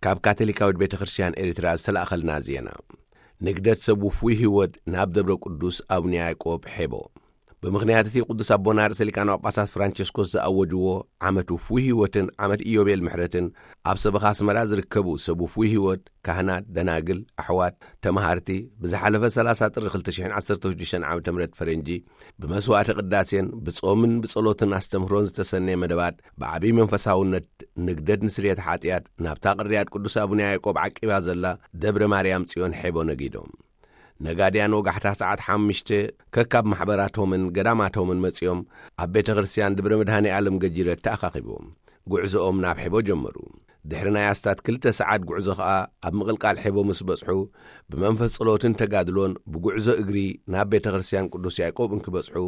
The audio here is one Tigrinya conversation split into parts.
ካብ ካቶሊካዊት ቤተ ክርስቲያን ኤርትራ ዝተላእኸልና ዜና። ንግደት ሰብ ውፉይ ህይወት ናብ ደብረ ቅዱስ ኣቡነ ያዕቆብ ሔቦ። ብምኽንያት እቲ ቅዱስ ኣቦና ርእሰ ሊቃነ ጳጳሳት ፍራንቸስኮስ ዝኣወጅዎ ዓመት ውፉይ ህይወትን ዓመት ኢዮቤል ምሕረትን፣ ኣብ ሰበኻ ኣስመራ ዝርከቡ ሰብ ውፉይ ህይወት፣ ካህናት፣ ደናግል፣ ኣሕዋት፣ ተማሃርቲ፣ ብዝሓለፈ ሰላሳ ጥሪ ክልተ ሽሕን ዓሰርተ ሽዱሽተን ዓመተ ምህረት ፈረንጂ፣ ብመስዋዕተ ቅዳሴን ብጾምን ብጸሎትን ኣስተምህሮን ዝተሰነየ መደባት፣ ብዓብዪ መንፈሳውነት ንግደት ንስርየት ሓጢኣት ናብታ ቅርያት ቅዱስ ኣቡነ ያዕቆብ ዓቂባ ዘላ ደብረ ማርያም ጽዮን ሔቦ ነጊዶም። ነጋድያን ወጋሕታ ሰዓት ሓሙሽተ ከካብ ማሕበራቶምን ገዳማቶምን መጺኦም ኣብ ቤተ ክርስቲያን ደብረ መድኃኔ ዓለም ገጂረት ተኣኻኺቦም ጉዕዞኦም ናብ ሔቦ ጀመሩ። ድሕሪ ናይ ኣስታት ክልተ ሰዓት ጉዕዞ ኸኣ ኣብ ምቕልቃል ሔቦ ምስ በጽሑ፣ ብመንፈስ ጸሎትን ተጋድሎን ብጉዕዞ እግሪ ናብ ቤተ ክርስቲያን ቅዱስ ያዕቆብ እንክበጽሑ፣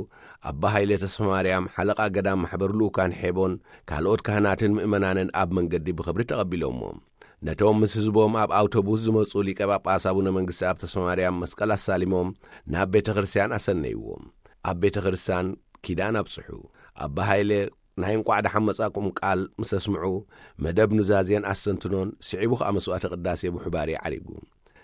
ኣባ ሃይለ ተስፋ ማርያም ሓለቓ ገዳም ማሕበር ልኡካን ሔቦን ካልኦት ካህናትን ምእመናንን ኣብ መንገዲ ብኽብሪ ተቐቢሎምዎም። ነቶም ምስ ህዝቦም ኣብ ኣውቶቡስ ዝመጹ ሊቀ ጳጳስ ኣቡነ መንግስቲ ኣብ ተስፋ ማርያም መስቀል ኣሳሊሞም ናብ ቤተ ክርስቲያን ኣሰነይዎም። ኣብ ቤተ ክርስቲያን ኪዳን ኣብጽሑ። ኣባ ሃይለ ናይ እንቋዕ ደሓን መጻኩም ቃል ምስ ኣስምዑ፣ መደብ ኑዛዜን ኣስተንትኖን ስዒቡ ኸኣ መስዋዕተ ቅዳሴ ብሑባሪ ዓሪጉ።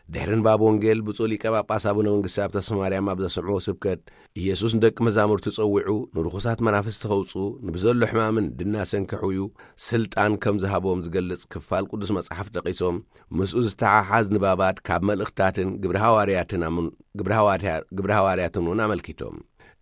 ድሕሪ ንባብ ወንጌል ብፁዕ ሊቀ ጳጳስ ኣቡነ መንግስቲ ኣብ ተስፋ ማርያም ኣብ ዘስምዕዎ ስብከት፣ ኢየሱስ ንደቂ መዛሙርቱ ጸዊዑ ንርኹሳት መናፍስቲ ኸውጽኡ፣ ንብዘሎ ሕማምን ድናሰን ከሕውዩ ስልጣን ከም ዝሃቦም ዝገልጽ ክፋል ቅዱስ መጽሓፍ ጠቒሶም፣ ምስኡ ዝተሓሓዝ ንባባት ካብ መልእኽታትን ግብረ ሃዋርያትን ኣምን-፣ ግብረ ሃዋርያ-፣ ግብረ ሃዋርያትን እውን ኣመልኪቶም።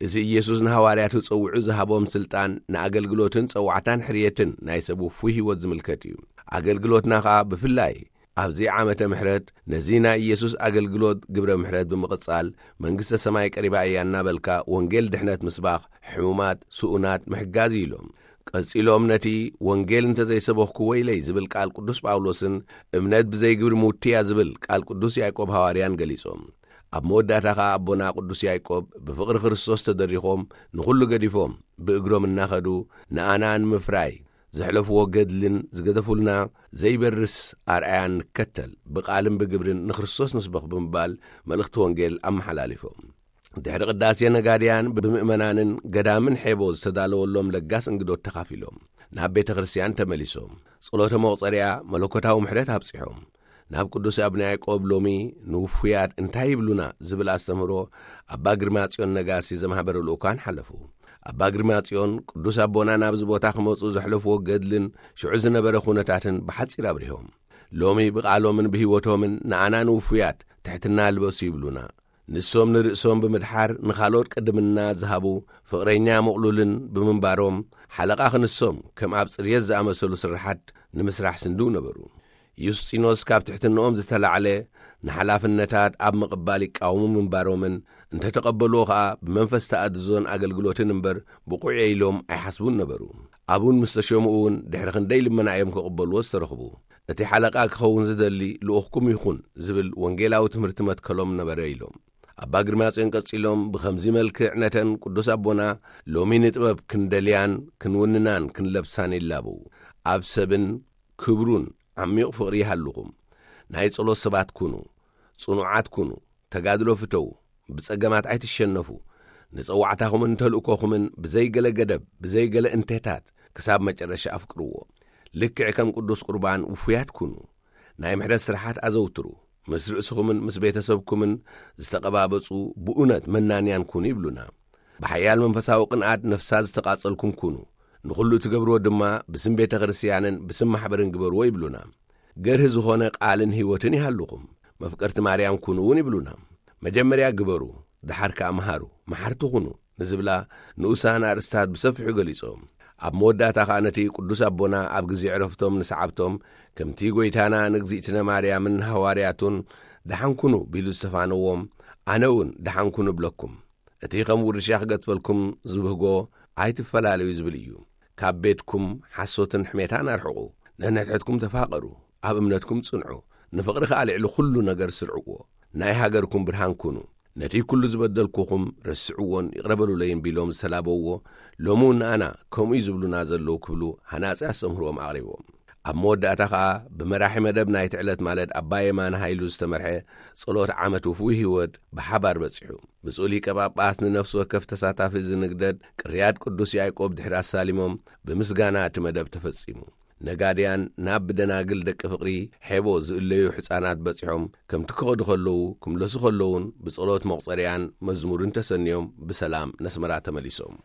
እዚ ኢየሱስ ንሃዋርያቱ ጸዊዑ ዝሃቦም ስልጣን ንኣገልግሎትን ጸዋዕታን ሕርየትን ናይ ሰብ ውፉይ ህይወት ዝምልከት እዩ። ኣገልግሎትና ኸኣ ብፍላይ ኣብዚ ዓመተ ምሕረት ነዚ ናይ ኢየሱስ ኣገልግሎት ግብረ ምሕረት ብምቕጻል፣ መንግስተ ሰማይ ቀሪባ እያ እናበልካ ወንጌል ድሕነት ምስባኽ፣ ሕሙማት፣ ስኡናት ምሕጋዝ እዩ ኢሎም። ቀጺሎም ነቲ ወንጌል እንተዘይሰበኽኩ ወይለይ ዝብል ቃል ቅዱስ ጳውሎስን እምነት ብዘይ ግብሪ ምውቲ እያ ዝብል ቃል ቅዱስ ያዕቆብ ሃዋርያን ገሊጾም። ኣብ መወዳእታ ኸኣ ኣቦና ቅዱስ ያዕቆብ ብፍቕሪ ክርስቶስ ተደሪኾም ንኹሉ ገዲፎም ብእግሮም እናኸዱ ንኣና ንምፍራይ ዘሕለፍዎ ገድልን ዝገደፉልና ዘይበርስ ኣርኣያን ንከተል፣ ብቓልን ብግብርን ንክርስቶስ ንስበኽ ብምባል መልእኽቲ ወንጌል ኣመሓላሊፎም። ድሕሪ ቅዳሴ ነጋድያን ብምእመናንን ገዳምን ሔቦ ዝተዳለወሎም ለጋስ እንግዶት ተኻፊሎም ናብ ቤተ ክርስቲያን ተመሊሶም ጸሎተ መቑጸርያ መለኮታዊ ምሕረት ኣብጺሖም። ናብ ቅዱስ ኣቡነ ያዕቆብ ሎሚ ንውፉያት እንታይ ይብሉና ዝብል ኣስተምህሮ ኣባ ግርማጽዮን ነጋሲ ዘማህበረ ልኡካን ሓለፉ። ኣባ ግርማጽዮን ቅዱስ ኣቦና ናብዚ ቦታ ክመጹ ዘሕለፍዎ ገድልን ሽዑ ዝነበረ ኩነታትን ብሓጺር ኣብሪሆም። ሎሚ ብቓሎምን ብህይወቶምን ንኣና ንውፉያት ትሕትና ልበሱ ይብሉና። ንሶም ንርእሶም ብምድሓር ንኻልኦት ቅድምና ዝሃቡ ፍቕረኛ ምቕሉልን ብምንባሮም፣ ሓለቓ ክንሶም ከም ኣብ ጽርየት ዝኣመሰሉ ስራሓት ንምስራሕ ስንድው ነበሩ። ዩስጢኖስ ካብ ትሕትንኦም ዝተላዕለ ንሓላፍነታት ኣብ ምቕባል ይቃወሙ ምንባሮምን፣ እንተተቐበልዎ ኸኣ ብመንፈስ ተኣድዞን ኣገልግሎትን እምበር ብቑዕ ኢሎም ኣይሓስቡን ነበሩ። ኣቡን ምስ ተሸሙ እውን ድሕሪ ክንደይ ልመና እዮም ክቕበልዎ ዝተረኽቡ። እቲ ሓለቓ ክኸውን ዝደሊ ልኡኽኩም ይኹን ዝብል ወንጌላዊ ትምህርቲ መትከሎም ነበረ ኢሎም። ኣባ ግርማጽዮን ቀጺሎም ብኸምዚ መልክዕ ነተን ቅዱስ ኣቦና ሎሚ ንጥበብ ክንደልያን ክንውንናን ክንለብሳን ይላበው። ኣብ ሰብን ክብሩን ዓሚቕ ፍቕሪ ይሃልኹም። ናይ ጸሎት ሰባት ኩኑ፣ ጽኑዓት ኩኑ፣ ተጋድሎ ፍተዉ፣ ብጸገማት ኣይትሸነፉ። ንጸዋዕታኹምን ተልእኮኹምን ብዘይገለ ገደብ፣ ብዘይገለ እንቴታት ክሳብ መጨረሻ ኣፍቅርዎ። ልክዕ ከም ቅዱስ ቁርባን ውፉያት ኩኑ። ናይ ምሕረት ስራሓት ኣዘውትሩ። ምስ ርእስኹምን ምስ ቤተሰብኩምን ዝተቐባበጹ ብእውነት መናንያን ኩኑ ይብሉና። ብሓያል መንፈሳዊ ቅንኣት ነፍሳት ዝተቓጸልኩም ኩኑ። ንኹሉ እትገብርዎ ድማ ብስም ቤተ ክርስቲያንን ብስም ማሕበርን ግበርዎ ይብሉና። ገርሂ ዝኾነ ቃልን ህይወትን ይሃልኹም። መፍቀርቲ ማርያም ኩኑ እውን ይብሉና። መጀመርያ ግበሩ፣ ደሓር ከኣ መሃሩ፣ መሓርቲ ኩኑ ንዝብላ ንኡሳን ኣርእስታት ብሰፊሑ ገሊጾም። ኣብ መወዳእታ ኸኣ ነቲ ቅዱስ ኣቦና ኣብ ግዜ ዕረፍቶም ንሰዓብቶም፣ ከምቲ ጐይታና ንእግዚእትነ ማርያምን ንሃዋርያቱን ደሓን ኩኑ ቢሉ ዝተፋነዎም፣ ኣነ እውን ደሓን ኩኑ እብለኩም። እቲ ከም ውርሻ ክገትፈልኩም ዝብህጎ ኣይትፈላለዩ ዝብል እዩ። ካብ ቤትኩም ሓሶትን ሕሜታን ኣርሕቑ። ነንሕድሕድኩም ተፋቐሩ፣ ኣብ እምነትኩም ጽንዑ፣ ንፍቕሪ ከኣ ልዕሊ ኩሉ ነገር ስርዕዎ። ናይ ሃገርኩም ብርሃን ኩኑ። ነቲ ኩሉ ዝበደልኩኹም ረስዕዎን ይቕረ በሉለይን ቢሎም ዝተላበውዎ፣ ሎሚ እውን ንኣና ከምኡ እዩ ዝብሉና ዘለዉ ክብሉ ሃናጺ ኣስተምህሮኦም ኣቕሪቦም። ኣብ መወዳእታ ኸኣ ብመራሒ መደብ ናይቲ ዕለት ማለት ኣባ የማነ ሃይሉ ዝተመርሐ ጸሎት ዓመት ውፉይ ህይወት ብሓባር በጺሑ። ብፁዕ ሊቀ ጳጳስ ንነፍሲ ወከፍ ተሳታፊ እዚ ንግደት ቅርያት ቅዱስ ያዕቆብ ድሕሪ ኣሳሊሞም ብምስጋና እቲ መደብ ተፈጺሙ። ነጋድያን ናብ ብደናግል ደቂ ፍቕሪ ሔቦ ዝእለዩ ሕፃናት በጺሖም ከምቲ ክኸዱ ከለዉ፣ ክምለሱ ከለዉን ብጸሎት መቑጸርያን መዝሙርን ተሰንዮም ብሰላም ነስመራ ተመሊሶም።